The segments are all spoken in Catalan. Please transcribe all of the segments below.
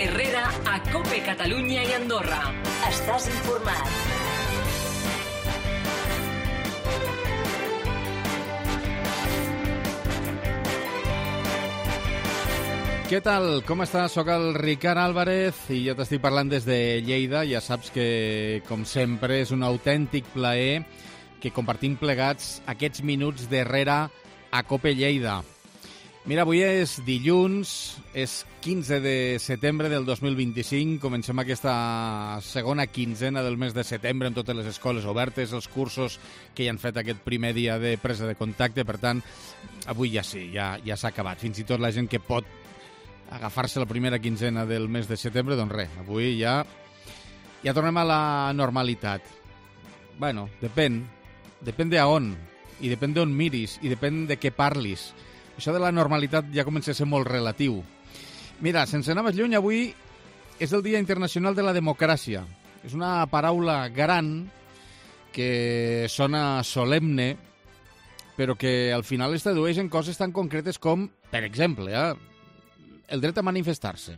Herrera a COPE Catalunya i Andorra. Estàs informat. Què tal? Com estàs? Soc el Ricard Álvarez i jo t'estic parlant des de Lleida. Ja saps que, com sempre, és un autèntic plaer que compartim plegats aquests minuts d'Herrera a COPE Lleida. Mira, avui és dilluns, és 15 de setembre del 2025. Comencem aquesta segona quinzena del mes de setembre amb totes les escoles obertes, els cursos que ja han fet aquest primer dia de presa de contacte. Per tant, avui ja sí, ja s'ha acabat. Fins i tot la gent que pot agafar-se la primera quinzena del mes de setembre, doncs res, avui ja tornem a la normalitat. Bueno, depèn de on, i depèn d'on miris, i depèn de què parlis. Això de la normalitat ja comença a ser molt relatiu. Mira, sense anar més lluny, avui és el Dia Internacional de la Democràcia. És una paraula gran que sona solemne, però que al final es tradueix en coses tan concretes com, per exemple, el dret a manifestar-se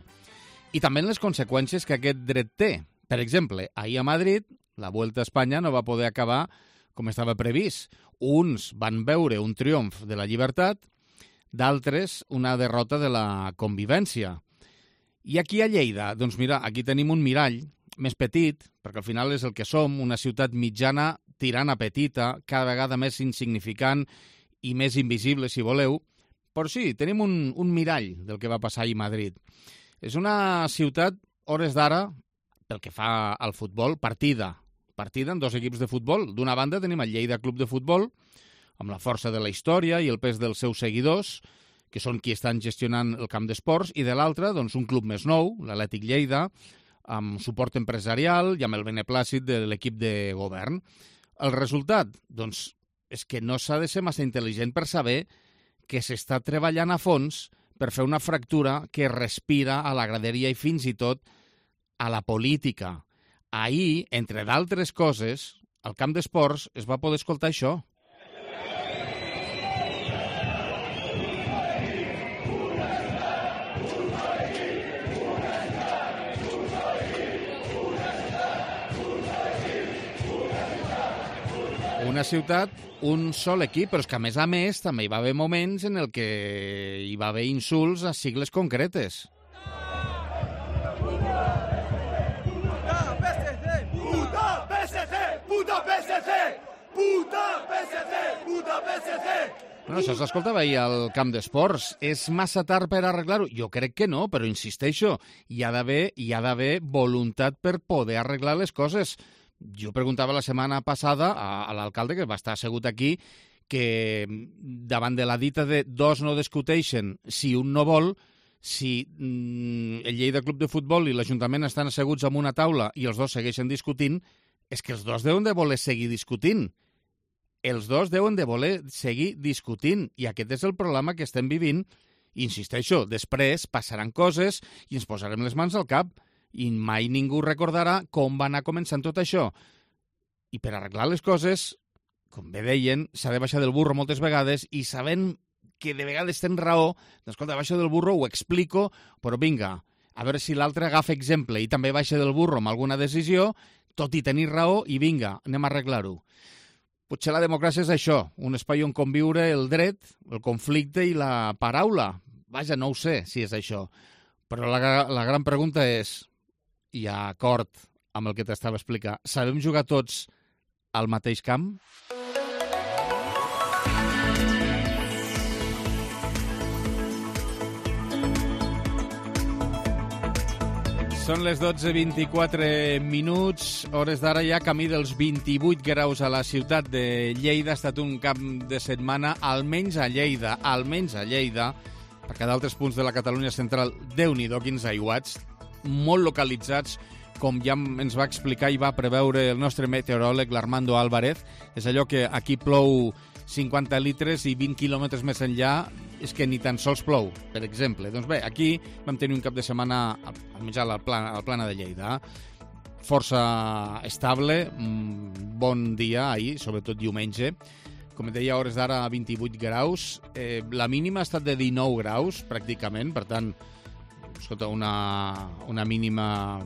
i també en les conseqüències que aquest dret té. Per exemple, ahir a Madrid la Vuelta a Espanya no va poder acabar com estava previst. Uns van veure un triomf de la llibertat, d'altres una derrota de la convivència. I aquí a Lleida, doncs mira, aquí tenim un mirall més petit, perquè al final és el que som, una ciutat mitjana tirant a petita, cada vegada més insignificant i més invisible, si voleu. Però sí, tenim un mirall del que va passar ahir a Madrid. És una ciutat, hores d'ara, pel que fa al futbol, partida en dos equips de futbol. D'una banda tenim el Lleida Club de Futbol, amb la força de la història i el pes dels seus seguidors, que són qui estan gestionant el camp d'esports, i de l'altra, doncs, un club més nou, l'Atlètic Lleida, amb suport empresarial i amb el beneplàcit de l'equip de govern. El resultat? Doncs és que no s'ha de ser massa intel·ligent per saber que s'està treballant a fons per fer una fractura que respira a la graderia i fins i tot a la política. Ahir, entre d'altres coses, al camp d'esports es va poder escoltar això. Una ciutat, un sol equip, però és que a més també hi va haver moments en el que hi va haver insults a sigles concretes. Puta PSC! Puta PSC! Puta PSC! Puta PSC! Puta PSC! Bueno, això s'escoltava ahir al camp d'esports. És massa tard per arreglar-ho? Jo crec que no, però insisteixo, hi ha d'haver voluntat per poder arreglar les coses. Jo preguntava la setmana passada a l'alcalde, que va estar assegut aquí, que davant de la dita de dos no discuteixen si un no vol, si el Lleida Club de Futbol i l'Ajuntament estan asseguts en una taula i els dos segueixen discutint, és que els dos deuen de voler seguir discutint. Els dos deuen de voler seguir discutint, i aquest és el problema que estem vivint. Insisteixo, després passaran coses i ens posarem les mans al cap, i mai ningú recordarà com va anar començant tot això. I per arreglar les coses, com bé deien, s'ha de baixar del burro moltes vegades, i sabent que de vegades tens raó, doncs escolta, baixo del burro, ho explico, però vinga, a veure si l'altre agafa exemple i també baixa del burro amb alguna decisió, tot i tenir raó, i vinga, anem a arreglar-ho. Potser la democràcia és això, un espai on conviure el dret, el conflicte i la paraula. Vaja, no ho sé si és això. Però la gran pregunta és, i a acord amb el que t'estava explicant, sabem jugar tots al mateix camp? Són les 12:24 minuts, hores d'ara ja camí dels 28 graus a la ciutat de Lleida. Ha estat un cap de setmana, almenys a Lleida, perquè d'altres punts de la Catalunya central, Déu-n'hi-do, quins aiguats, molt localitzats, com ja ens va explicar i va preveure el nostre meteoròleg, l'Armando Álvarez. És allò que aquí plou 50 litres i 20 quilòmetres més enllà és que ni tan sols plou, per exemple. Doncs bé, aquí vam tenir un cap de setmana almenys al Plana de Lleida. Força estable, bon dia ahir, sobretot diumenge. Com et deia, a hores d'ara 28 graus. La mínima ha estat de 19 graus, pràcticament, per tant, escolta, una mínima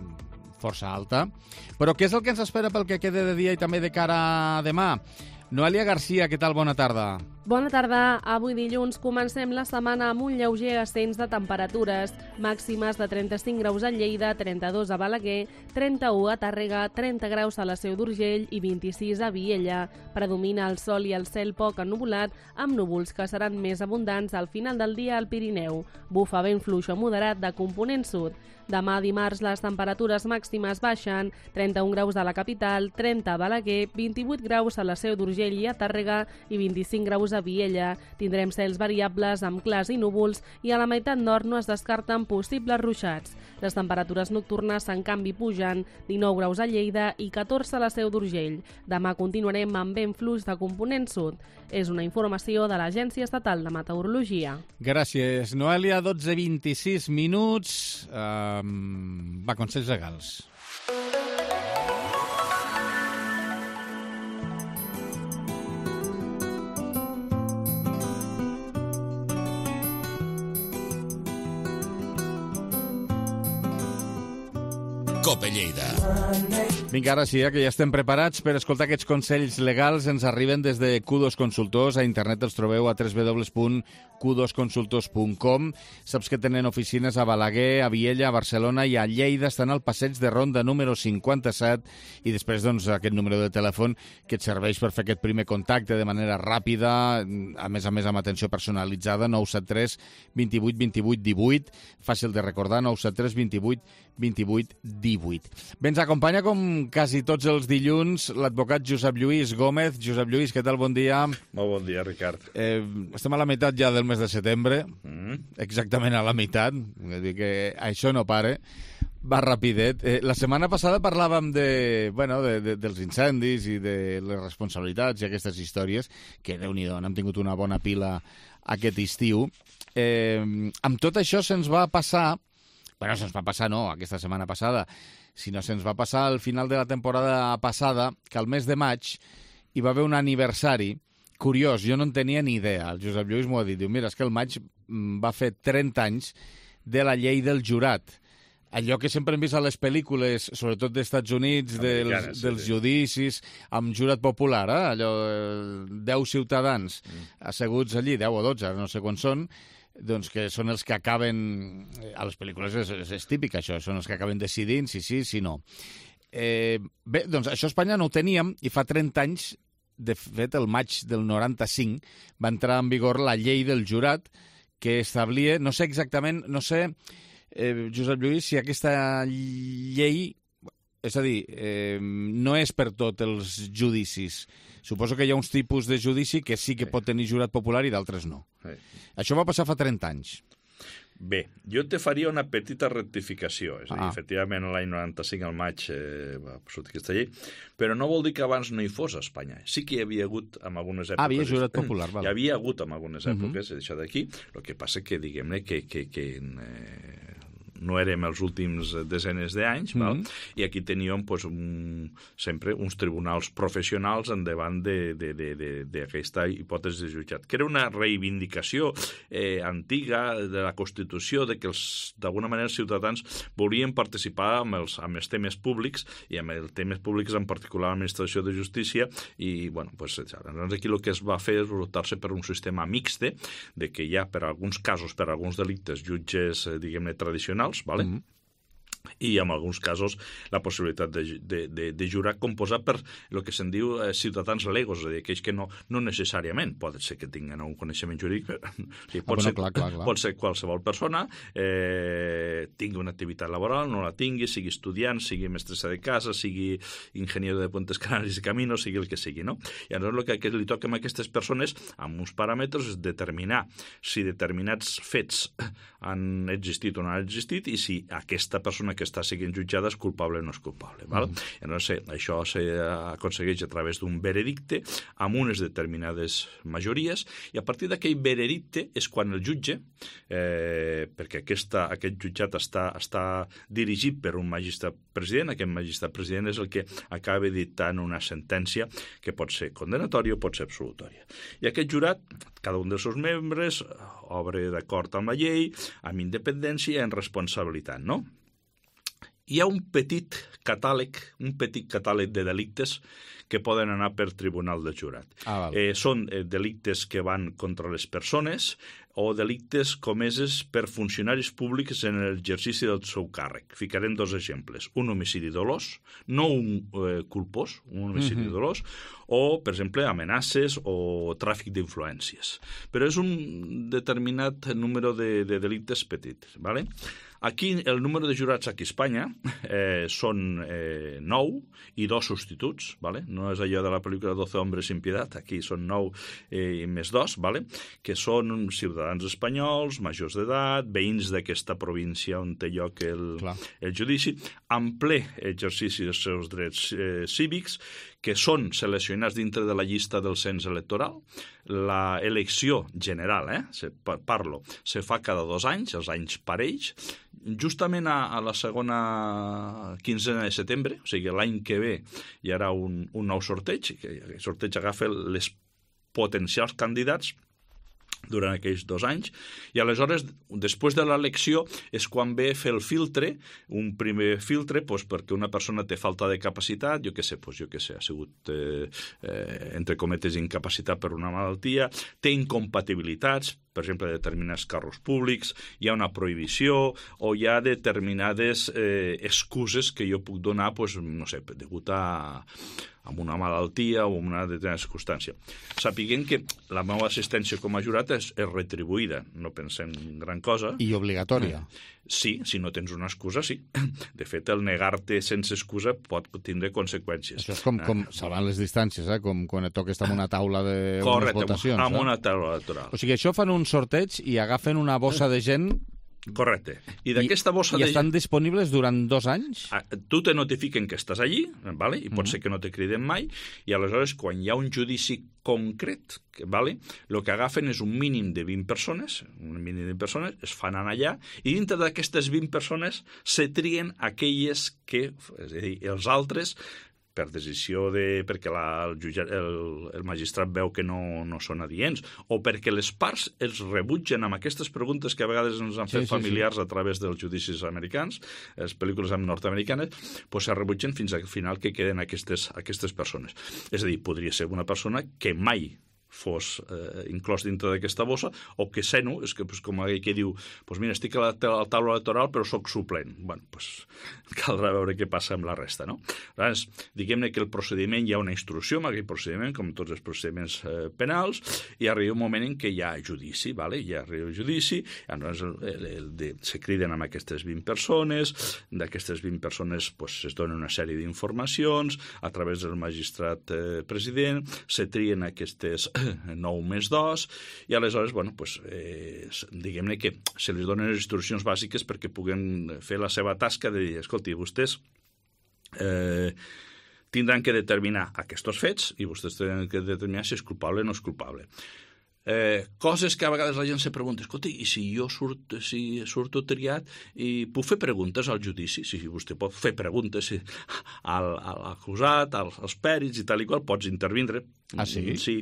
força alta. Però què és el que ens espera pel que quede de dia i també de cara a demà? Noelia Garcia, què tal? Bona tarda. Bona tarda. Avui dilluns comencem la setmana amb un lleuger ascens de temperatures. Màximes de 35 graus a Lleida, 32 a Balaguer, 31 a Tàrrega, 30 graus a la Seu d'Urgell i 26 a Viella. Predomina el sol i el cel poc ennuvolat, amb núvols que seran més abundants al final del dia al Pirineu. Bufa vent fluix o moderat de component sud. Demà dimarts les temperatures màximes baixen, 31 graus a la capital, 30 a Balaguer, 28 graus a la Seu d'Urgell i a Tàrrega i 25 graus a Viella. Tindrem cels variables amb clars i núvols i a la meitat nord no es descarten possibles ruixats. Les temperatures nocturnes en canvi pugen, 19 graus a Lleida i 14 a la Seu d'Urgell. Demà continuarem amb vent fluix de component sud. És una informació de l'Agència Estatal de Meteorologia. Gràcies, Noelia. 12:26 minuts. Va, consells legals. Cope Lleida. Vinga, ara sí, que ja estem preparats per escoltar aquests consells legals. Ens arriben des de Q2 Consultors. A internet els trobeu a www.q2consultors.com. Saps que tenen oficines a Balaguer, a Viella, a Barcelona i a Lleida. Estan al passeig de Ronda número 57 i després doncs, aquest número de telèfon que et serveix per fer aquest primer contacte de manera ràpida, a més amb atenció personalitzada, 973 28 28 18. Fàcil de recordar, 973 28 28 18. Bé, ens acompanya com quasi tots els dilluns l'advocat Josep Lluís Gómez. Josep Lluís, què tal? Bon dia. Molt bon dia, Ricard. Estem a la meitat ja del mes de setembre, exactament a la meitat, vull dir que això no para, va rapidet. La setmana passada parlàvem dels incendis i de les responsabilitats i aquestes històries, que Déu-n'hi-do, n'hem tingut una bona pila aquest estiu. Amb tot això se'ns va passar, aquesta setmana passada, sinó se'ns va passar al final de la temporada passada, que al mes de maig hi va haver un aniversari curiós. Jo no en tenia ni idea. El Josep Lluís m'ho ha dit. Diu, mira, és que el maig va fer 30 anys de la llei del jurat. Allò que sempre hem vist a les pel·lícules, sobretot d'Estats Units, dels judicis, amb jurat popular, allò, 10 ciutadans asseguts allí, 10 o 12, no sé quants són, doncs que són els que acaben, a les pel·lícules és típic això, són els que acaben decidint si sí, si no. Bé, doncs això a Espanya no ho teníem i fa 30 anys, de fet el maig del 95, va entrar en vigor la llei del jurat que establia, no sé exactament, Josep Lluís, si aquesta llei, és a dir, no és per tots els judicis. Suposo que hi ha uns tipus de judici que sí que pot tenir jurat popular i d'altres no. Això va passar fa 30 anys. Bé, jo te faria una petita rectificació. És a dir, efectivament, l'any 95 al maig va sortir aquesta llei, però no vol dir que abans no hi fos a Espanya. Sí que hi havia hagut en algunes èpoques... Havia jurat popular, val. Hi havia hagut en algunes èpoques, això d'aquí. El que passa que, diguem-ne, que no érem els últims desenes d'anys, i aquí teníem sempre uns tribunals professionals endavant d'aquesta hipòtesi de jutjat, que era una reivindicació antiga de la Constitució, de que d'alguna manera els ciutadans volien participar amb els temes públics, i amb els temes públics en particular l'administració de justícia, i llavors aquí el que es va fer és optar-se per un sistema mixte, de que hi ha per alguns casos, per alguns delictes, jutges, diguem-ne, tradicionals, ¿vale? I en alguns casos la possibilitat de jurar composat per el que se'n diu ciutadans legos, és a dir, aquells que no necessàriament pot ser que tinguin un coneixement jurídic, pot ser qualsevol persona, tingui una activitat laboral, no la tingui, sigui estudiant, sigui mestressa de casa, sigui ingeniero de puentes canales i caminos, sigui el que sigui, no? I llavors el que li toca a aquestes persones, amb uns paràmetres, és determinar si determinats fets han existit o no han existit, i si aquesta persona que està sent jutjada és culpable o no és culpable. Val? No sé, això s'aconsegueix a través d'un veredicte amb unes determinades majories, i a partir d'aquell veredicte és quan el jutge, perquè aquest jutjat està dirigit per un magistrat president, aquest magistrat president és el que acaba dictant una sentència que pot ser condenatòria o pot ser absolutòria. I aquest jurat, cada un dels seus membres, obre d'acord amb la llei, amb independència i en responsabilitat, no? Hi ha un petit catàleg de delictes que poden anar per tribunal del jurat. Són delictes que van contra les persones o delictes comeses per funcionaris públics en l'exercici del seu càrrec. Ficarem dos exemples. Un homicidi dolós, no un culpós, un homicidi dolós, o, per exemple, amenaces o tràfic d'influències. Però és un determinat número de delictes petits, ¿vale? Aquí el número de jurats aquí a Espanya són 9 i 2 substituts, ¿vale? No és allò de la pel·lícula 12 hombres sin piedad, aquí són 9 i més 2, ¿vale? Que són ciutadans espanyols, majors d'edat, veïns d'aquesta província on té lloc el judici, en ple exercici dels seus drets cívics, que són seleccionats dintre de la llista del cens electoral. L'elecció general, parlo, se fa cada 2 anys, els anys parells, justament a la segona quinzena de setembre, o sigui, l'any que ve hi haurà un nou sorteig, que el sorteig agafa les potencials candidats durant aquells 2 anys, i aleshores, després de l'elecció, és quan ve fer el filtre, un primer filtre, perquè una persona té falta de capacitat, jo què sé, ha sigut, entre cometes, incapacitat per una malaltia, té incompatibilitats, per exemple, determinats càrrecs públics, hi ha una prohibició o hi ha determinades excuses que jo puc donar, no sé, degut a una malaltia o una determinada circumstància. Sapiguem que la meva assistència com a jurat és retribuïda, no pensem gran cosa. I obligatòria. Sí, si no tens una excusa, sí. De fet, el negar-te sense excusa pot tindre conseqüències. Això és com salvant les distàncies, com quan et toca estar en una taula de votacions. Correcte, en una taula electoral. O sigui, això fan un sorteig i agafen una bossa de gent. Correcte. I d'aquesta bossa I estan disponibles durant 2 anys? Tu te notifiquen que estàs allí, vale? I pot ser que no te criden mai, i aleshores, quan hi ha un judici concret, vale? El que agafen és un mínim de 20 persones, es fan anar allà, i dintre d'aquestes 20 persones se trien aquelles que, és a dir, els altres, per decisió perquè el magistrat veu que no són adients, o perquè les parts els rebutgen amb aquestes preguntes que a vegades ens han fet familiars a través dels judicis americans, les pel·lícules nord-americanes, es rebutgen fins al final que queden aquestes persones. És a dir, podria ser una persona que mai fos inclòs dintre d'aquesta bossa, o que seno, és que com aquell que diu, mira, estic a la taula electoral però sóc suplent. Bueno, caldrà veure què passa amb la resta, no? Llavors, diguem-ne que el procediment, hi ha una instrucció amb aquell procediment, com tots els procediments penals, i arriba un moment en què hi ha judici, vale? Hi arriba el judici, llavors se criden amb aquestes 20 persones, d'aquestes 20 persones es donen una sèrie d'informacions a través del magistrat president, se trien aquestes 9 més 2, i aleshores, diguem-ne que se li donen les instruccions bàsiques perquè puguen fer la seva tasca de dir, escolti, vostès tindran que determinar aquests fets i vostès tindran que determinar si és culpable o no és culpable. Coses que a vegades la gent se pregunta, escolta, i si jo surto triat i puc fer preguntes al judici? Si vostè pot fer preguntes a l'acusat, als pèrits i tal i qual, pots intervindre. Ah, sí? Sí,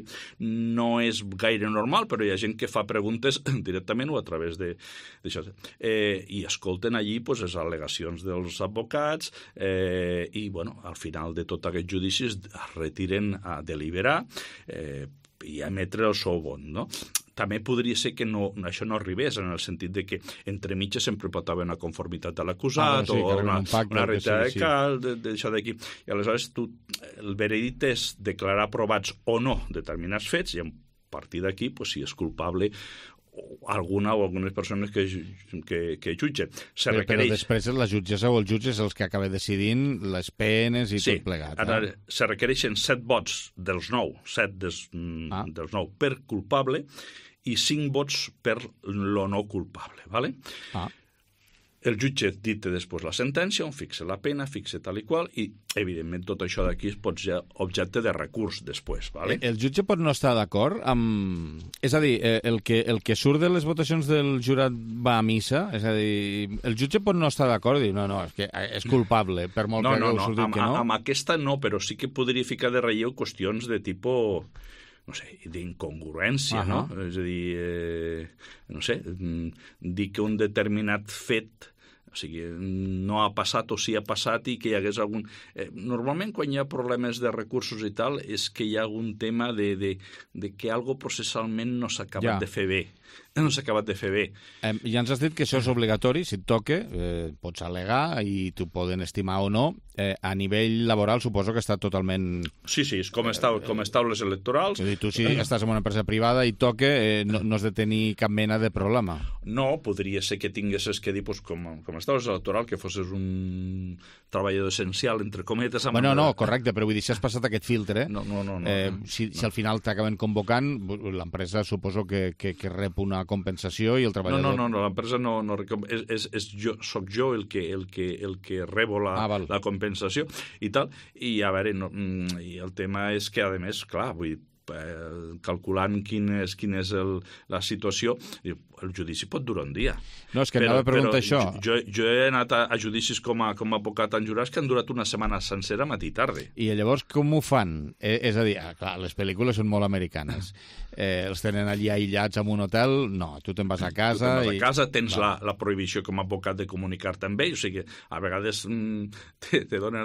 no és gaire normal, però hi ha gent que fa preguntes directament o a través d'això. I escolten allí les al·legacions dels advocats i, al final de tot aquest judici es retiren a deliberar i a emetre el seu vot, no? També podria ser que això no arribés, en el sentit de que entre mitges sempre pot haver una conformitat de l'acusat o una retirada de cal, d'això d'aquí. I aleshores el veredicte és declarar aprovats o no determinats fets i a partir d'aquí, si és culpable algunes persones que jutgen. Però després la jutgessa o el jutge és els que acaba decidint les penes i tot plegat. Se requereixen 7 vots dels 9, 7 dels 9 per culpable i 5 vots per lo no culpable. Vale? el jutge dicta després la sentència, on fixa la pena, fixa tal i qual, i, evidentment, tot això d'aquí es pot ser objecte de recurs després. Vale? El jutge pot no estar d'acord amb... És a dir, el que surt de les votacions del jurat va a missa? És a dir, el jutge pot no estar d'acord i dir, no, és que és culpable, per molt que hagueu sortit que no? Amb aquesta no, però sí que podria ficar de relleu qüestions de tipus... no sé, d'incongruència, no? És a dir, no sé, dir que un determinat fet, o sigui, no ha passat o sí ha passat i que hi hagués algun... Normalment, quan hi ha problemes de recursos i tal, és que hi ha algun tema de que algo processalment no s'ha acabat de fer bé. No s'ha acabat de fer bé. Ja ens has dit que això és obligatori, si et toca, pots al·legar i t'ho poden estimar o no. A nivell laboral suposo que està totalment... Sí, és com taules electorals. És a dir, tu si estàs en una empresa privada i toca, no has de tenir cap mena de problema. No, podria ser que tinguessis que dir, doncs, com les taules electorals, que fossis un treballador essencial, entre cometes... Bueno, no, correcte, però vull dir, si has passat aquest filtre, no. Si al final t'acaben convocant, l'empresa suposo que rep una compensació i el treballador... No, l'empresa no soc jo el que rebo la compensació i tal, i a veure, i el tema és que, a més, clar, vull dir, calculant quina és la situació, el judici pot durar un dia. No, és que anava a preguntar això. Jo he anat a judicis com a advocat en jurats que han durat una setmana sencera matí i tarda. I llavors com ho fan? És a dir, clar, les pel·lícules són molt americanes. Els tenen allí aïllats en un hotel? No, tu te'n vas a casa... A casa tens la prohibició com a advocat de comunicar-te amb ells, o sigui, a vegades te donen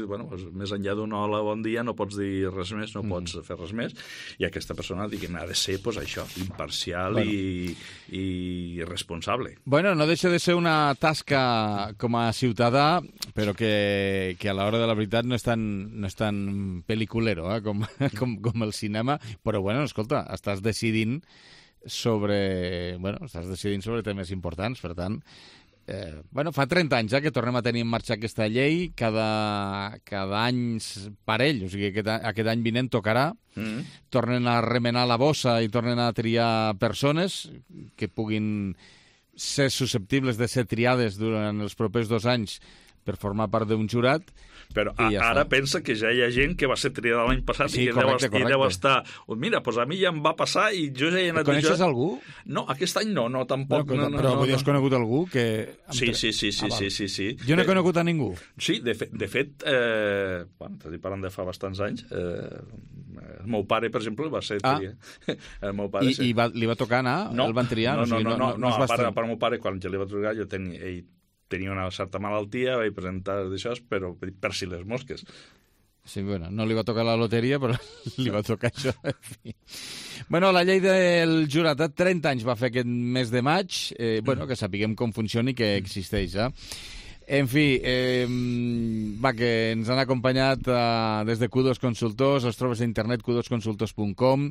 bueno, més enllà d'un hola, bon dia, no pots dir res més, no pots fer res més, i aquesta persona, diguem, ha de ser això, imparcial i responsable. Bueno, no deixa de ser una tasca com a ciutadà, però que a l'hora de la veritat no és tan pel·liculero com el cinema, però bueno, escolta, estàs decidint sobre temes importants, per tant, fa 30 anys que tornem a tenir en marxa aquesta llei, cada any parell, o sigui, aquest any vinent tocarà, tornen a remenar la bossa i tornen a triar persones que puguin ser susceptibles de ser triades durant els propers 2 anys per formar part d'un jurat. Però ara pensa que ja hi ha gent que va ser triada l'any passat i deu estar... Mira, doncs a mi ja em va passar i jo ja he anat... Coneixes algú? No, aquest any no, tampoc. Però has conegut algú que... Sí. Jo no he conegut a ningú. Sí, de fet, t'estic parlant de fa bastants anys, el meu pare, per exemple, va ser triat. I li va tocar anar? El van triar? No, a part del meu pare, quan ja li va trucar, ell tenia una certa malaltia, vaig presentar d'això, però per si les mosques. Sí, bueno, no li va tocar la loteria, però li va tocar això. En fi. Bueno, la llei del jurat 30 anys va fer aquest mes de maig, que sapiguem com funciona i que existeix, En fi, que ens han acompanyat des de Q2 Consultors, els trobes a internet q2consultors.com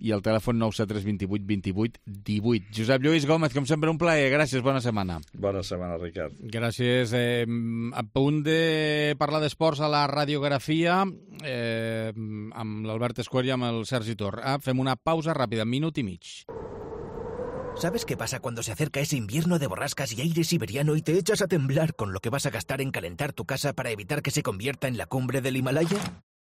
i el telèfon 973 28 28 18. Josep Lluís Gómez, com sempre, un plaer. Gràcies, bona setmana. Bona setmana, Ricard. Gràcies. A punt de parlar d'esports a la radiografia amb l'Albert Escuer i amb el Sergi Tor. Fem una pausa ràpida, minut i mig. ¿Sabes qué pasa cuando se acerca ese invierno de borrascas y aire siberiano y te echas a temblar con lo que vas a gastar en calentar tu casa para evitar que se convierta en la cumbre del Himalaya?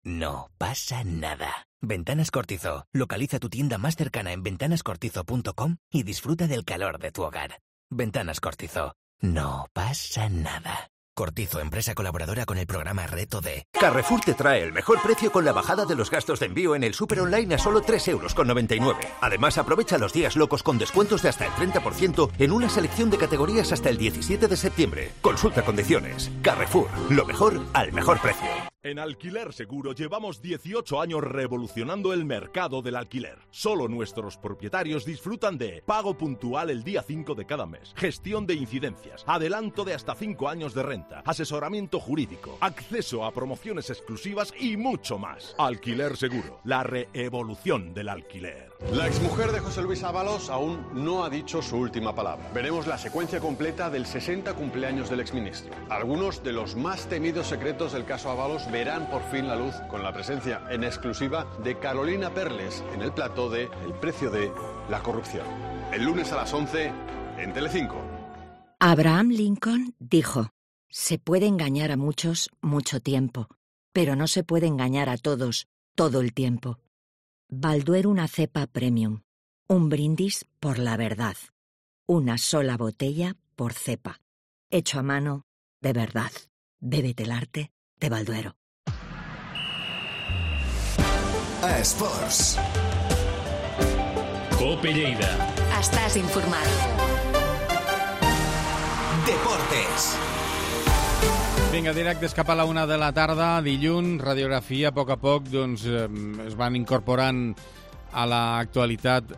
No pasa nada. Ventanas Cortizo. Localiza tu tienda más cercana en ventanascortizo.com y disfruta del calor de tu hogar. Ventanas Cortizo. No pasa nada. Cortizo, empresa colaboradora con el programa Reto D. Carrefour te trae el mejor precio con la bajada de los gastos de envío en el súper online a solo 3,99 €. Además, aprovecha los días locos con descuentos de hasta el 30% en una selección de categorías hasta el 17 de septiembre. Consulta condiciones. Carrefour, lo mejor al mejor precio. En Alquiler Seguro llevamos 18 años revolucionando el mercado del alquiler. Solo nuestros propietarios disfrutan de pago puntual el día 5 de cada mes, gestión de incidencias, adelanto de hasta 5 años de renta, asesoramiento jurídico, acceso a promociones exclusivas y mucho más. Alquiler Seguro, la reevolución del alquiler. La exmujer de José Luis Ábalos aún no ha dicho su última palabra. Veremos la secuencia completa del 60 cumpleaños del exministro. Algunos de los más temidos secretos del caso Ábalos verán por fin la luz con la presencia en exclusiva de Carolina Perles en el plató de El precio de la corrupción. El lunes a las 11 en Telecinco. Abraham Lincoln dijo: se puede engañar a muchos mucho tiempo, pero no se puede engañar a todos todo el tiempo. Balduero una cepa premium. Un brindis por la verdad. Una sola botella por cepa. Hecho a mano de verdad. Bébete el arte de Balduero. A Esports. Cope Lleida. Estàs informat. Deportes. Vinga, directes cap a la 1 de la tarda, dilluns, radiografia, a poc, doncs es van incorporant a l'actualitat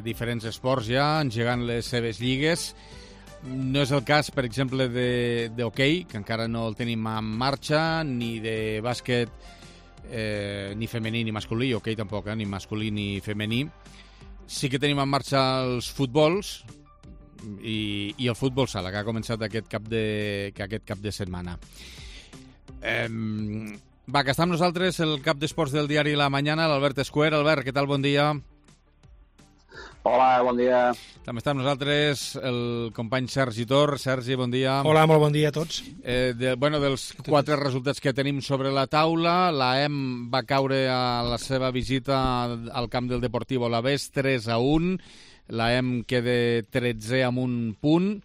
diferents esports ja, engegant les seves lligues. No és el cas, per exemple, d'hoquei, que encara no el tenim en marxa, ni de bàsquet, ni femení ni masculí, hoquei tampoc, ni masculí ni femení. Sí que tenim en marxa els futbols, i el futbol sala, que ha començat aquest cap de setmana. Va, que està amb nosaltres el cap d'esports del diari La Mañana, l'Albert Escuer. Albert, què tal? Bon dia. Hola, bon dia. També està amb nosaltres el company Sergi Tor. Sergi, bon dia. Hola, molt bon dia a tots. Dels 4 resultats que tenim sobre la taula, l'AEM va caure a la seva visita al camp del Deportivo Alavés 3-1. L'AEM queda 13è amb un punt.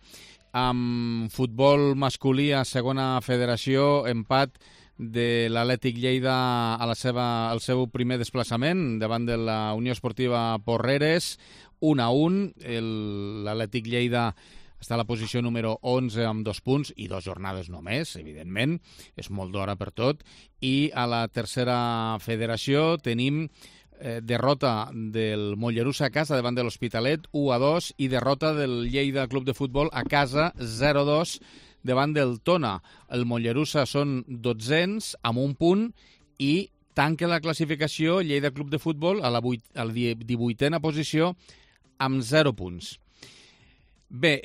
Amb futbol masculí a segona federació, empat de l'Atlètic Lleida al seu primer desplaçament davant de la Unió Esportiva Porreres, 1-1. L'Atlètic Lleida està a la posició número 11 amb 2 punts i 2 jornades només, evidentment. És molt d'hora per tot. I a la tercera federació tenim derrota del Mollerussa a casa davant de l'Hospitalet 1-2 i derrota del Lleida Club de Futbol a casa 0-2 davant del Tona. El Mollerussa són 12ens amb un punt i tanca la classificació Lleida Club de Futbol a la 18a posició amb 0 punts. Bé,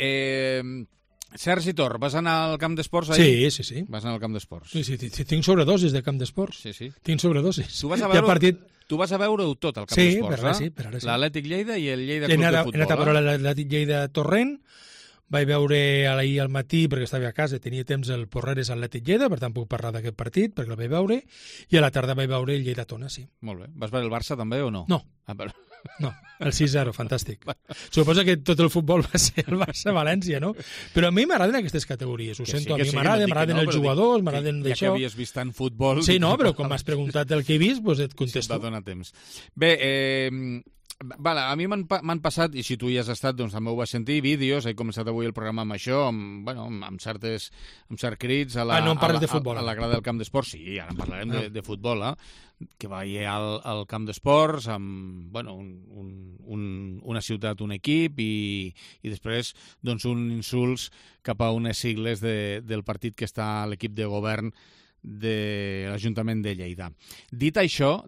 Sergi Tor, vas anar al camp d'esports ahir? Sí. Vas anar al camp d'esports. Sí, tinc sobredosis de camp d'esports. Sí. Tinc sobredosis. Tu vas a veure-ho tot al camp d'esports, per ara sí. L'Atlètic Lleida i el Lleida Club de Futbol. He anat a veure l'Atlètic Lleida Torrent, vaig veure ahir al matí, perquè estava a casa, tenia temps el Porreres Atlètic Lleida, per tant puc parlar d'aquest partit, perquè el vaig veure, i a la tarda vaig veure el Lleida Tona, sí. Molt bé. Vas veure el Barça també o no? No. No, el 6-0, fantàstic. Suposo que tot el futbol va ser el Barça-València, no? Però a mi m'agraden aquestes categories, ho sento, a mi m'agraden els jugadors, m'agraden d'això. Ja que havies vist tant futbol... Sí, no, però com m'has preguntat el que he vist, doncs et contesto. Va donar temps. Bé, a mi m'han passat, i si tu hi has estat, doncs també ho vas sentir, vídeos, he començat avui el programa amb això, amb certs crits a la grada del camp d'esports. Sí, ara en parlarem de futbol, que veia al camp d'esports amb una ciutat, un equip, i després doncs uns insults cap a unes sigles del partit que està a l'equip de govern de l'Ajuntament de Lleida. Dit això,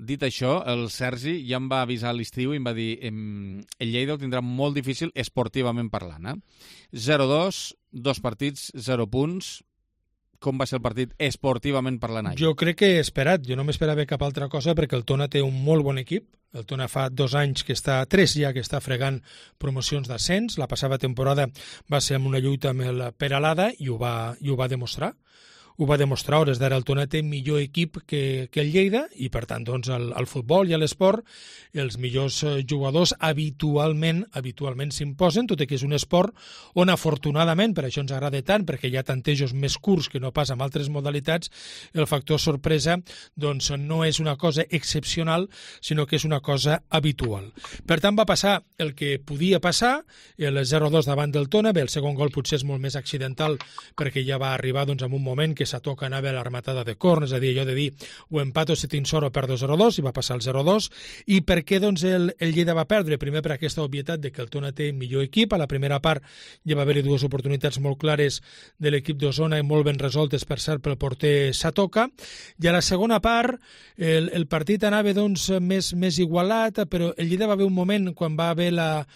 el Sergi ja em va avisar a l'estiu i em va dir el Lleida ho tindrà molt difícil esportivament parlant. 0-2, 2 partits, 0 punts. Com va ser el partit esportivament parlant ahir? Jo crec que he esperat. Jo no m'esperava cap altra cosa perquè el Tona té un molt bon equip. El Tona fa 2 anys que està, 3 ja, que està fregant promocions d'ascens. La passada temporada va ser amb una lluita amb el Peralada i ho va demostrar. Ho va demostrar, hores d'ara el Tona té millor equip que el Lleida i per tant doncs al futbol i a l'esport els millors jugadors habitualment s'imposen, tot i que és un esport on afortunadament, per això ens agrada tant, perquè hi ha tantejos més curts que no pas amb altres modalitats, el factor sorpresa doncs no és una cosa excepcional, sinó que és una cosa habitual. Per tant va passar el que podia passar, el 0-2 davant del Tona, bé, el segon gol potser és molt més accidental perquè ja va arribar doncs en un moment que Satoca anava a l'armatada de corn, és a dir, allò de dir o empato si tinc sort o perdo 0-2, i va passar el 0-2. I per què doncs el Lleida va perdre? Primer per aquesta obvietat de que el Tona té millor equip. A la primera part ja va haver-hi 2 oportunitats molt clares de l'equip d'Osona i molt ben resoltes, per cert, pel porter Satoca. I a la segona part el partit anava doncs més igualat, però el Lleida va haver un moment quan va haver la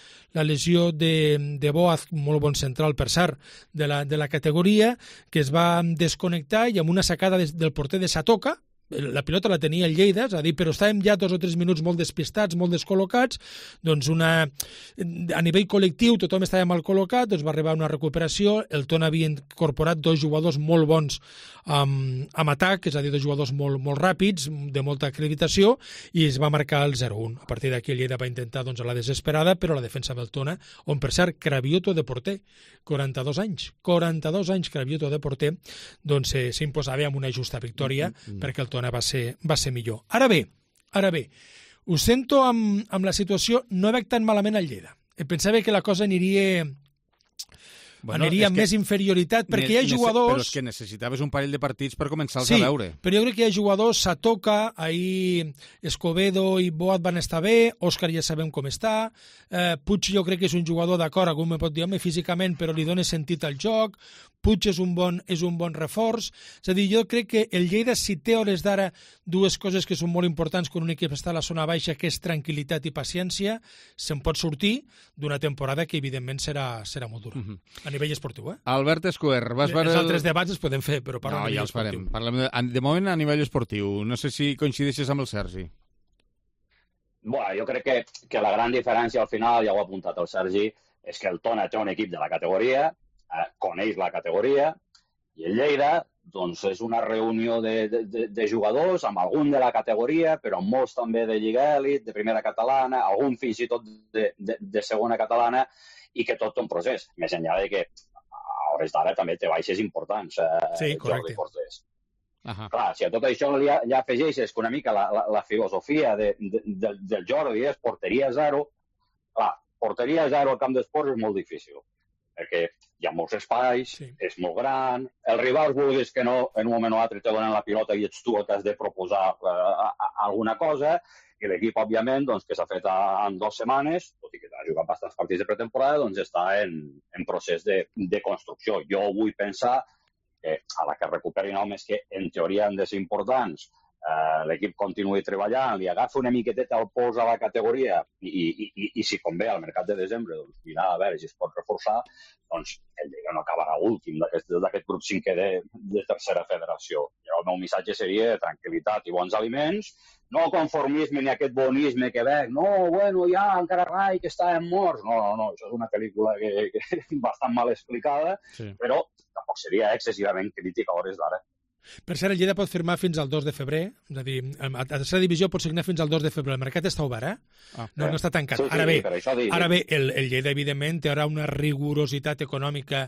lesió de Boaz, molt bon central, per cert, de la categoria, que es va desconnectar i amb una sacada del porter de Satoca, la pilota la tenia el Lleida, és a dir, però estàvem ja 2 o 3 minuts molt despistats, molt descol·locats, doncs a nivell col·lectiu tothom estava mal col·locat, doncs va arribar una recuperació, el Tona havia incorporat 2 jugadors molt bons amb atac, és a dir, 2 jugadors molt ràpids, de molta acreditació, i es va marcar el 0-1. A partir d'aquí el Lleida va intentar doncs, a la desesperada, però la defensa del Tona, on per cert, Cravioto de porter, 42 anys Cravioto de porter, doncs s'imposava amb una justa victòria perquè el Tona va ser millor. Ara bé, ho sento amb la situació, no veig tan malament al Lleida. Pensava que la cosa aniria amb més inferioritat, perquè hi ha jugadors... Però és que necessitaves un parell de partits per començar-los a veure. Sí, però jo crec que hi ha jugadors, Satoka, ahir Escobedo i Boat van estar bé, Òscar ja sabem com està, Puig jo crec que és un jugador d'acord, algú me pot dir, home, físicament, però li dona sentit al joc, Puig és un bon reforç, és a dir, jo crec que el Lleida, si té a hores d'ara 2 coses que són molt importants quan un equip està a la zona baixa, que és tranquil·litat i paciència, se'n pot sortir d'una temporada que evidentment serà molt dura. A nivell esportiu, Albert Escuer, vas veure... Els altres debats els podem fer, però parlem a nivell esportiu. Parlem de moment a nivell esportiu. No sé si coincideixes amb el Sergi. Bueno, jo crec que la gran diferència al final, ja ho ha apuntat el Sergi, és que el Tona té un equip de la categoria, coneix la categoria, i el Lleida doncs, és una reunió de jugadors, amb algun de la categoria, però amb molts també de Lliga Elit, de primera catalana, algun fins i tot de segona catalana, i que tot té un procés. Més enllà de que a hores d'ara també té baixes importants. Sí, correcte. Clar, si a tot això ja afegeixes que una mica la filosofia del Jordi és porteria zero, clar, porteria zero al camp d'esports és molt difícil, perquè hi ha molts espais, és molt gran, els rivals vulguis que no, en un moment o altre te donen la pilota i ets tu el que has de proposar alguna cosa, i l'equip, òbviament, doncs, que s'ha fet en 2 setmanes, tot i que ha jugat bastants partits de pretemporada, doncs està en procés de construcció. Jo vull pensar que a la que recuperin homes que en teoria han de ser importants, l'equip continuï treballant, li agafa una miqueteta el pols a la categoria i si convé al mercat de desembre doncs, mirar a veure si es pot reforçar, doncs el Lleida no acabarà últim d'aquest grup 5è de tercera federació. I el meu missatge seria tranquil·litat i bons aliments, no conformisme ni aquest bonisme que veig, ja encara rai que estàvem morts. No, això és una pel·lícula que bastant mal explicada, però tampoc seria excessivament crítica a hores d'ara. Per cert, el Lleida pot firmar fins al 2 de febrer, és a dir, a tercera divisió pot signar fins al 2 de febrer. El mercat està obert, No està tancat. Ara bé, el Lleida, evidentment, té ara una rigorositat econòmica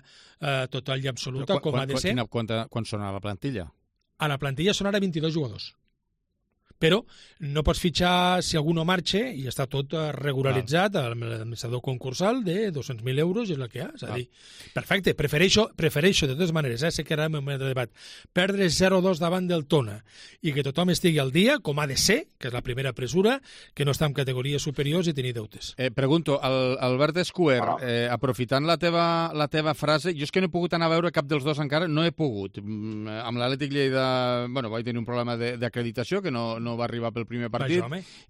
total i absoluta, com ha de ser. Quan sona la plantilla? A la plantilla són ara 22 jugadors. Però no pots fitxar si algú no marxa i està tot regularitzat amb l'administrador concursal de 200.000 euros i és el que hi ha. És a dir, perfecte, prefereixo de totes maneres, sé que ara en el moment de debat, perdre 0-2 davant del Tona i que tothom estigui al dia, com ha de ser, que és la primera pressura, que no està en categories superiors i tenir deutes. Pregunto, Albert Escuer, aprofitant la teva frase, jo és que no he pogut anar a veure cap dels dos encara, no he pogut. Amb l'Atlètic Lleida, vaig tenir un problema d'acreditació que no va arribar pel primer partit,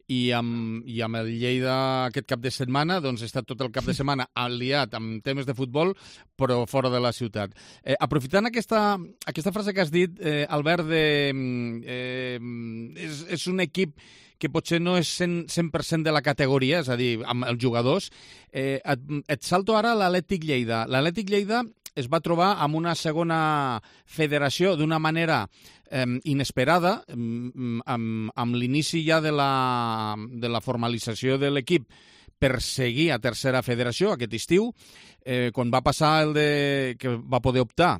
i amb el Lleida aquest cap de setmana, doncs he estat tot el cap de setmana aliat amb temes de futbol, però fora de la ciutat. Aprofitant aquesta frase que has dit, Albert, és un equip que potser no és 100% de la categoria, és a dir, amb els jugadors. Et salto ara a l'Atlètic Lleida. L'Atlètic Lleida es va trobar amb una segona federació d'una manera inesperada, amb l'inici ja de la formalització de l'equip per seguir a tercera federació aquest estiu, quan va passar que va poder optar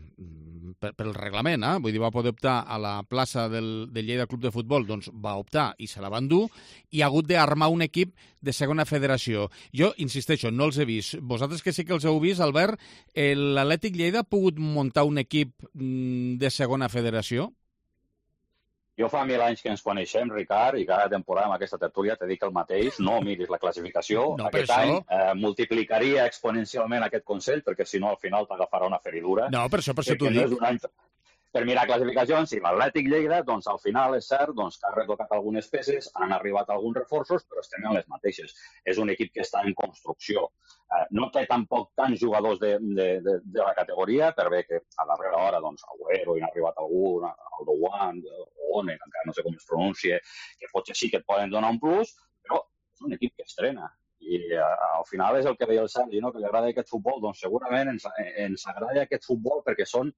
pel reglament, vull dir, va poder optar a la plaça del Lleida Club de Futbol, doncs va optar i se la van dur, i ha hagut d'armar un equip de segona federació. Jo, insisteixo, no els he vist. Vosaltres que sí que els heu vist, Albert, l'Atlètic Lleida ha pogut muntar un equip de segona federació? Jo fa 1000 anys que ens coneixem, Ricard, i cada temporada amb aquesta tertúlia te dic el mateix, no miris la classificació. Aquest any multiplicaria exponencialment aquest Consell, perquè si no al final t'agafarà una feridura. No, per això t'ho dic. per mirar classificacions, i l'Atlètic Lleida, doncs al final és cert doncs, que ha retocat algunes peces, han arribat alguns reforços, però estem en les mateixes. És un equip que està en construcció. No té tampoc tants jugadors de la categoria, per bé que a darrera hora, doncs, Agüero hi ha arribat algun, Aldowan, One, encara no sé com es pronuncia, que potser sí que et poden donar un plus, però és un equip que estrena. I al final és el que deia el Sergi, no? Que li agrada aquest futbol. Doncs segurament ens agrada aquest futbol perquè són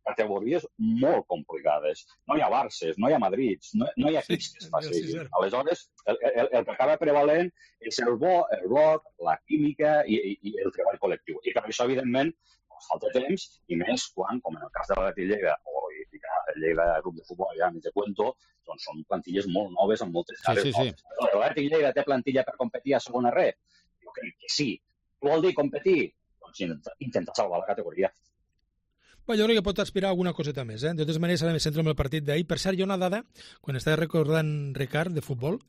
categories molt complicades. No hi ha Barces, no hi ha Madrids, no hi ha equips que es facin. Aleshores, el que acaba prevalent és el bo, el bloc, la química i el treball col·lectiu. I per això, evidentment, falta temps, i més quan, com en el cas de l'Atlètic Lleida, o el Lleida Club de Futbol, ja m'hi cuento, doncs són plantilles molt noves amb moltes cares noves. L'Atlètic Lleida té plantilla per competir a segona red? Jo crec que sí. Què vol dir competir? Doncs intentar salvar la categoria. Bé, jo crec que pot aspirar a alguna coseta més. De totes maneres, ara me centro en el partit d'ahir. Per cert, hi ha una dada, quan estava recordant Ricard, de futbol,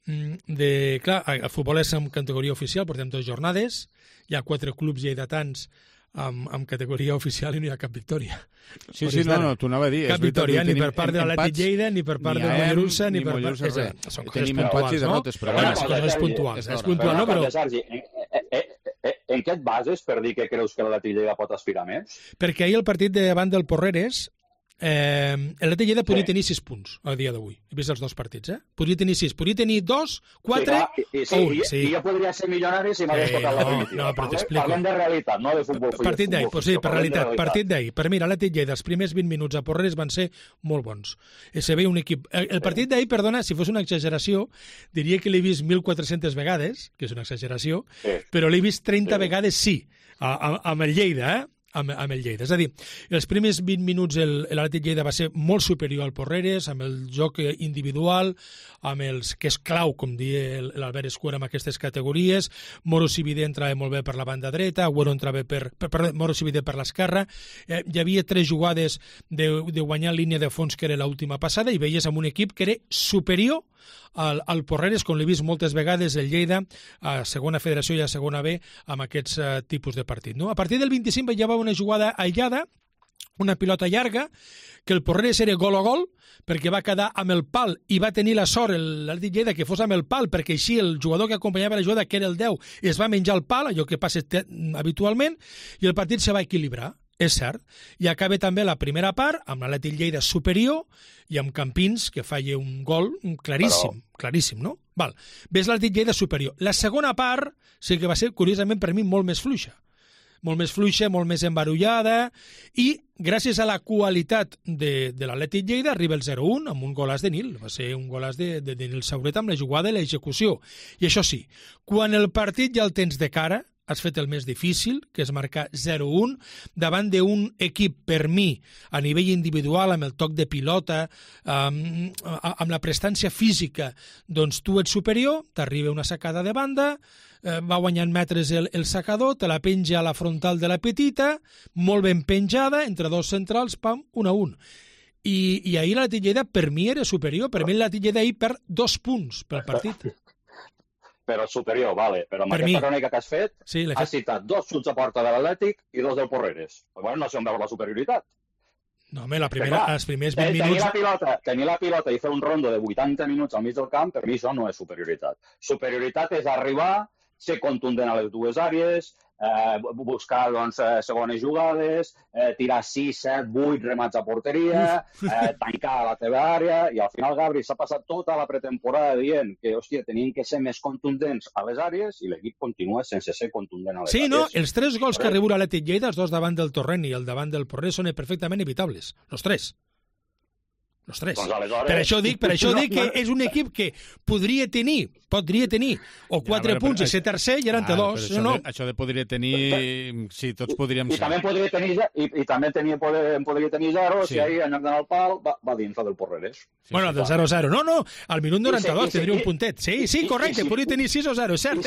clar, el futbol és en categoria oficial, portem 2 jornades, hi ha 4 clubs lleidatans amb categoria oficial i no hi ha cap victòria. Sí, no, t'ho anava a dir. Cap victòria, ni per part de l'Atlètic Lleida, ni per part del Mollerussa, ni per part... Són coses puntuals, no? Són coses puntuals. És puntual, no? Però... En què et bases per dir que creus que l'Atlètic Lleida pot aspirar més? Perquè ahir el partit davant del Porreres, l'Atlètic Lleida podria tenir 6 punts a dia d'avui. He vist els 2 partits, Podria tenir 6. Podria tenir 2, 4 o 1. I jo podria ser milionari si m'hagués tocat la primitiva. No, però t'explico. Parlem de realitat, no de futbol. Partit d'ahir, sí, per realitat. Partit d'ahir. Per mi, l'Atlètic Lleida, els primers 20 minuts a Porreres van ser molt bons. Se veia un equip... El partit d'ahir, perdona, si fos una exageració, diria que l'he vist 1.400 vegades, que és una exageració, però l'he vist 30 vegades sí, amb el Lleida, amb el Lleida. És a dir, els primers 20 minuts l'Atlètic Lleida va ser molt superior al Porreres, amb el joc individual, amb els que és clau, com diu l'Albert Escuera, amb aquestes categories. Moro Sividé entrava molt bé per la banda dreta, Agüero entrava Moro Sividé per l'esquerra. Hi havia 3 jugades de guanyar línia de fons, que era l'última passada, i veies amb un equip que era superior al Porreres, com l'he vist moltes vegades el Lleida a segona federació i a segona B amb aquests tipus de partit. No? A partir del 25 hi havia una jugada aïllada, una pilota llarga, que el Porreres era gol a gol, perquè va quedar amb el pal i va tenir la sort l'Atlètic Lleida que fos amb el pal, perquè així el jugador que acompanyava la jugada, que era el 10, es va menjar el pal, allò que passa habitualment, i el partit se va equilibrar. És cert, i acaba també la primera part amb l'Atlètic Lleida superior i amb Campins, que falla un gol claríssim, no? Val. Ves l'Atlètic Lleida superior. La segona part sí que va ser, curiosament, per mi, molt més fluixa, molt més embarullada, i gràcies a la qualitat de l'Atlètic Lleida arriba el 0-1 amb un golàs de Nil. Va ser un golàs de Nil Sauret amb la jugada i l'execució. I això sí, quan el partit ja el tens de cara, has fet el més difícil, que és marcar 0-1, davant d'un equip, per mi, a nivell individual, amb el toc de pilota, amb la prestància física, doncs tu ets superior, t'arriba una sacada de banda, va guanyant metres el sacador, te la penja a la frontal de la petita, molt ben penjada, entre 2 centrals, pam, 1-1. I ahir l'Atlètic Lleida, per mi, era superior. Per mi l'Atlètic Lleida ahir perd 2 punts pel partit. Però superior, vale. Però amb aquesta crònica que has fet, has citat 2 xuts a porta de l'Atlètic i 2 del Porreres. Bueno, no sé on veu la superioritat. No, home, els primers 20 minuts... Tenir la pilota i fer un rondo de 80 minuts al mig del camp, per mi això no és superioritat. Superioritat és arribar, ser contundent a les 2 àrees, buscar segones jugades, tirar 6, 7, 8 remats a porteria, tancar la teva àrea, i al final Gabri s'ha passat tota la pretemporada dient que, hòstia, tenien que ser més contundents a les àrees, i l'equip continua sense ser contundent a les àrees. Sí, no, els 3 gols que arriba l'Atlètic Lleida, els 2 davant del Torrent i el davant del Porreres, són perfectament evitables, els 3. Els 3. Per això dic que és un equip que podria tenir o 4 punts i ser tercer i eren 2. Això de podria tenir, sí, tots podríem ser. I també podria tenir 0 si ahir, en lloc d'anar al pal, va dins la del Porreres. Bueno, del 0-0. No, al minut 92 tindria un puntet. Sí, correcte, podria tenir 6 o 0, és cert.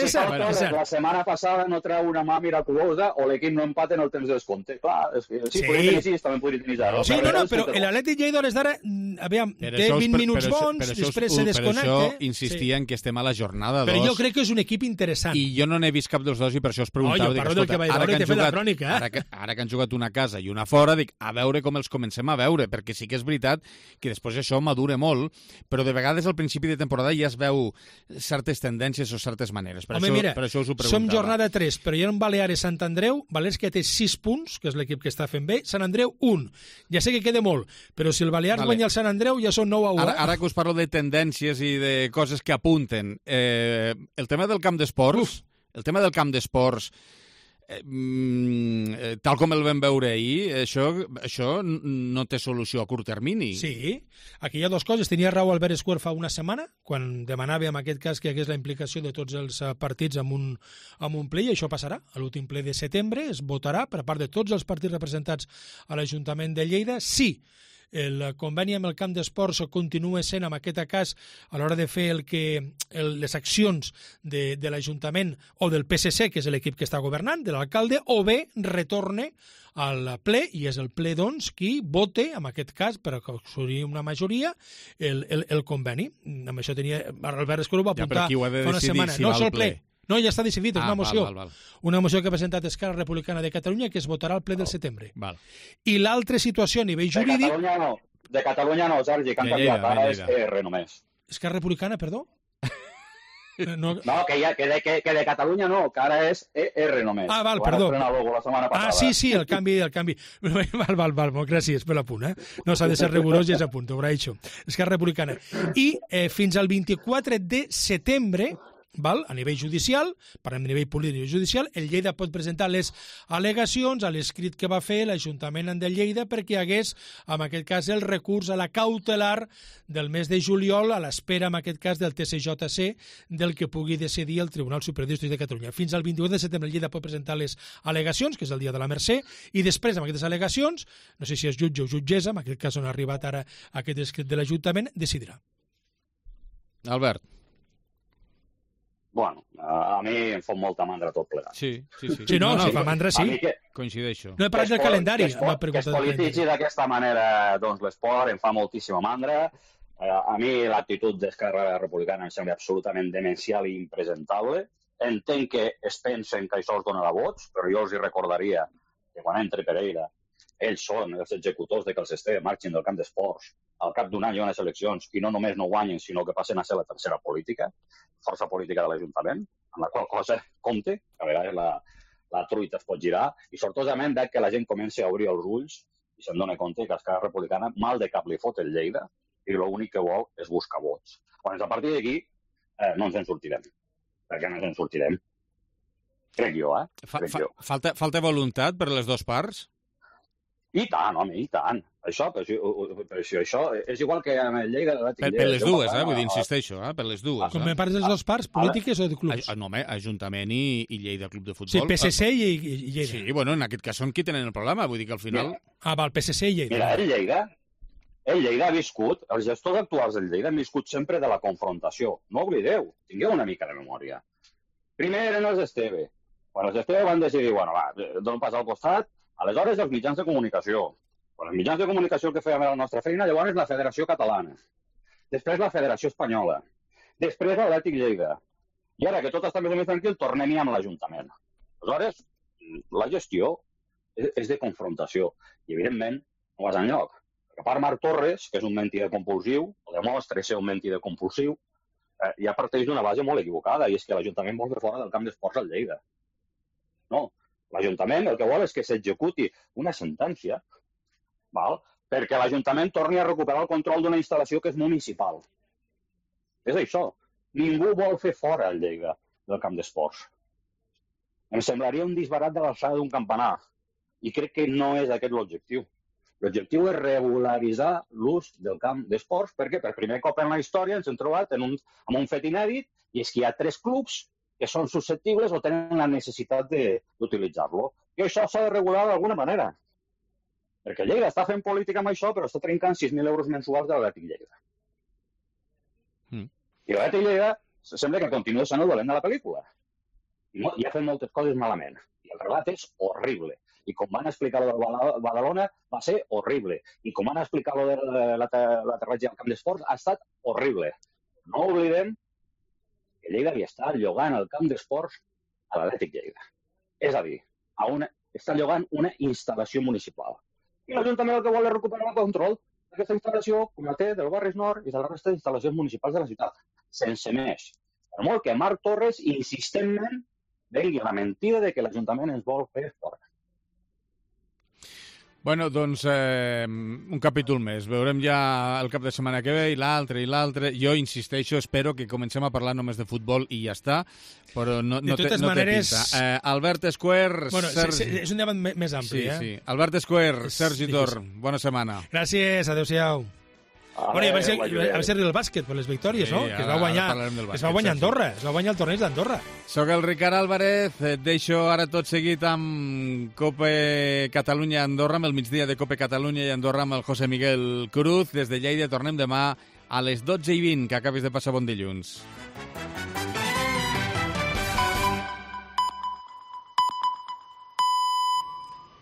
La setmana passada no treu una mà miraculosa o l'equip no empata en el temps de descompte. Clar, sí, podria tenir 6, també podria tenir 0. Sí, no, però l'Atlètic Lleida a les d'ara aviam, té 20 minuts bons, després se desconnecta. Per això insistia en que estem a la jornada 2. Però jo crec que és un equip interessant. I jo no n'he vist cap dels dos i per això us preguntava. Jo parlo del que vaig veure i t'he fet la crònica. Ara que han jugat una a casa i una fora, dic, a veure com els comencem a veure, perquè sí que és veritat que després això madura molt, però de vegades al principi de temporada ja es veu certes tendències o certes maneres. Per això us ho preguntava. Som jornada 3, però hi ha un Baleares Sant Andreu, Balears que té 6 punts, que és l'equip que està fent bé, Sant Andreu 1. Ja sé que queda molt, però si el Balears guanya el Sant Andreu ja són 9-1. Ara que us parlo de tendències i de coses que apunten, el tema del camp d'esports, tal com el vam veure ahir, això no té solució a curt termini. Sí, aquí hi ha dues coses. Tenia raó Albert Escuer fa una setmana, quan demanava en aquest cas que hi hagués la implicació de tots els partits amb un ple, i això passarà. A l'últim ple de setembre es votarà per part de tots els partits representats a l'Ajuntament de Lleida si el conveni amb el camp d'esports continua sent, en aquest cas, a l'hora de fer les accions de l'Ajuntament o del PSC, que és l'equip que està governant, de l'alcalde, o bé retorne al ple, i és el ple, doncs, qui vote, en aquest cas, per aconseguir una majoria, el conveni. Amb això tenia... Albert Escuro va apuntar fa una setmana. Si no, és el ple. No, ja està decidit, és una moció. Una moció que ha presentat Esquerra Republicana de Catalunya que es votarà al ple del setembre. I l'altra situació a nivell jurídic... De Catalunya no, Sergi, que han canviat. Ara és ER només. Esquerra Republicana, perdó? No, que de Catalunya no, que ara és ER només. Ah, val, perdó. Ah, sí, el canvi. Val, molt gràcies per l'apunt, No s'ha de ser rigorós i és a punt, ho haurà dit. Esquerra Republicana. I fins al 24 de setembre... a nivell judicial, parlem de nivell polític i judicial, el Lleida pot presentar les al·legacions a l'escrit que va fer l'Ajuntament de Lleida perquè hi hagués, en aquest cas, el recurs a la cautelar del mes de juliol a l'espera, en aquest cas, del TCJC, del que pugui decidir el Tribunal Superior de Justícia de Catalunya. Fins al 28 de setembre el Lleida pot presentar les al·legacions, que és el dia de la Mercè, i després, amb aquestes al·legacions, no sé si és jutge o jutgessa, en aquest cas on ha arribat ara aquest escrit de l'Ajuntament, decidirà. Albert. Bueno, a mi em fot molta mandra tot plegat. Sí, fa mandra, sí. Coincideixo. No he parlat del calendari. Que es polititzi d'aquesta manera l'esport em fa moltíssima mandra. A mi l'actitud d'Esquerra Republicana em sembla absolutament demencial i impresentable. Entenc que es pensen que això els donarà vots, però jo els hi recordaria que quan entri Pereira ells són els executors de que els Esteve marxin del camp d'esports. Al cap d'un any hi ha unes eleccions i no només no guanyen, sinó que passen a ser la tercera política, força política de l'Ajuntament, amb la qual cosa compte, que a vegades la truita es pot girar, i sortosament veig que la gent comença a obrir els ulls i se'n dona compte que Esquerra Republicana mal de cap li fot el Lleida i l'únic que vol és buscar vots. Quan a partir d'aquí no ens en sortirem. Per què no ens en sortirem? Crec jo, Falta voluntat per les dues parts? I tant, home, i tant. Això és igual que amb el Lleida... Per les dues, vull dir, insisteixo, per les dues. Com me parles de les dues parts, polítiques o de clubs? No, home, Ajuntament i Lleida Club de Futbol. Sí, PSC i Lleida. Sí, bueno, en aquest cas són qui tenen el problema, vull dir que al final... Val, PSC i Lleida. Mira, el Lleida ha viscut, els gestors actuals del Lleida han viscut sempre de la confrontació. No oblideu, tingueu una mica de memòria. Primer eren els Esteve. Quan els Esteve van decidir, bueno, va, dono pas al costat, aleshores els mitjans de comunicació. Quan els mitjans de comunicació el que fèiem era la nostra feina, llavors la Federació Catalana. Després la Federació Espanyola. Després l'Atlètic Lleida. I ara que tot està més o menys tranquil, tornem-hi amb l'Ajuntament. Aleshores, la gestió és de confrontació. I, evidentment, no vas enlloc. Perquè a part Marc Torres, que és un mentider compulsiu, o demostra ser un mentider compulsiu, ja parteix d'una base molt equivocada, i és que l'Ajuntament vol fer fora del camp d'esports al Lleida. No. L'Ajuntament el que vol és que s'executi una sentència perquè l'Ajuntament torni a recuperar el control d'una instal·lació que és municipal. És això. Ningú vol fer fora el Lleida del camp d'esports. Em semblaria un disbarat de l'alçada d'un campanar. I crec que no és aquest l'objectiu. L'objectiu és regularitzar l'ús del camp d'esports perquè per primer cop en la història ens hem trobat amb un fet inèdit i és que hi ha 3 clubs que són susceptibles o tenen la necessitat d'utilitzar-lo. I això s'ha de regular d'alguna manera. Perquè Lleida està fent política amb això, però està trencant 6.000 euros mensuals de l'Atlètic Lleida. I l'Atlètic Lleida sembla que continua sent el dolent de la pel·lícula. I ha fet moltes coses malament. I el relat és horrible. I com van explicar lo del Badalona, va ser horrible. I com van explicar lo de l'aterratge al camp d'esports, ha estat horrible. No oblidem que Lleida li està llogant el camp d'esports a l'Atlètic Lleida. És a dir, està llogant una instal·lació municipal. I l'Ajuntament el que vol és recuperar el control d'aquesta instal·lació, com la té del Barris Nord i de la resta d'instal·lacions municipals de la ciutat. Sense més. Per molt que Marc Torres insistentment vengui la mentida de que l'Ajuntament ens vol fer fora. Bueno, doncs un capítol més. Veurem ja el cap de setmana que ve i l'altre. Jo insisteixo, espero que comencem a parlar només de futbol i ja està, però no té pinta. Albert Esquer... Bueno, és un debat més ampli, sí. Albert Esquer, Sergi Tor, bona setmana. Gràcies, adéu-siau. Bueno, a veure si arriba el bàsquet per les victòries, no? Que es va guanyar Andorra, es va guanyar el torneig d'Andorra. Soc el Ricard Álvarez, et deixo ara tot seguit amb Cope Catalunya Andorra, amb el migdia de Cope Catalunya i Andorra amb el José Miguel Cruz. Des de Lleida tornem demà a les 12:20, que acabis de passar bon dilluns.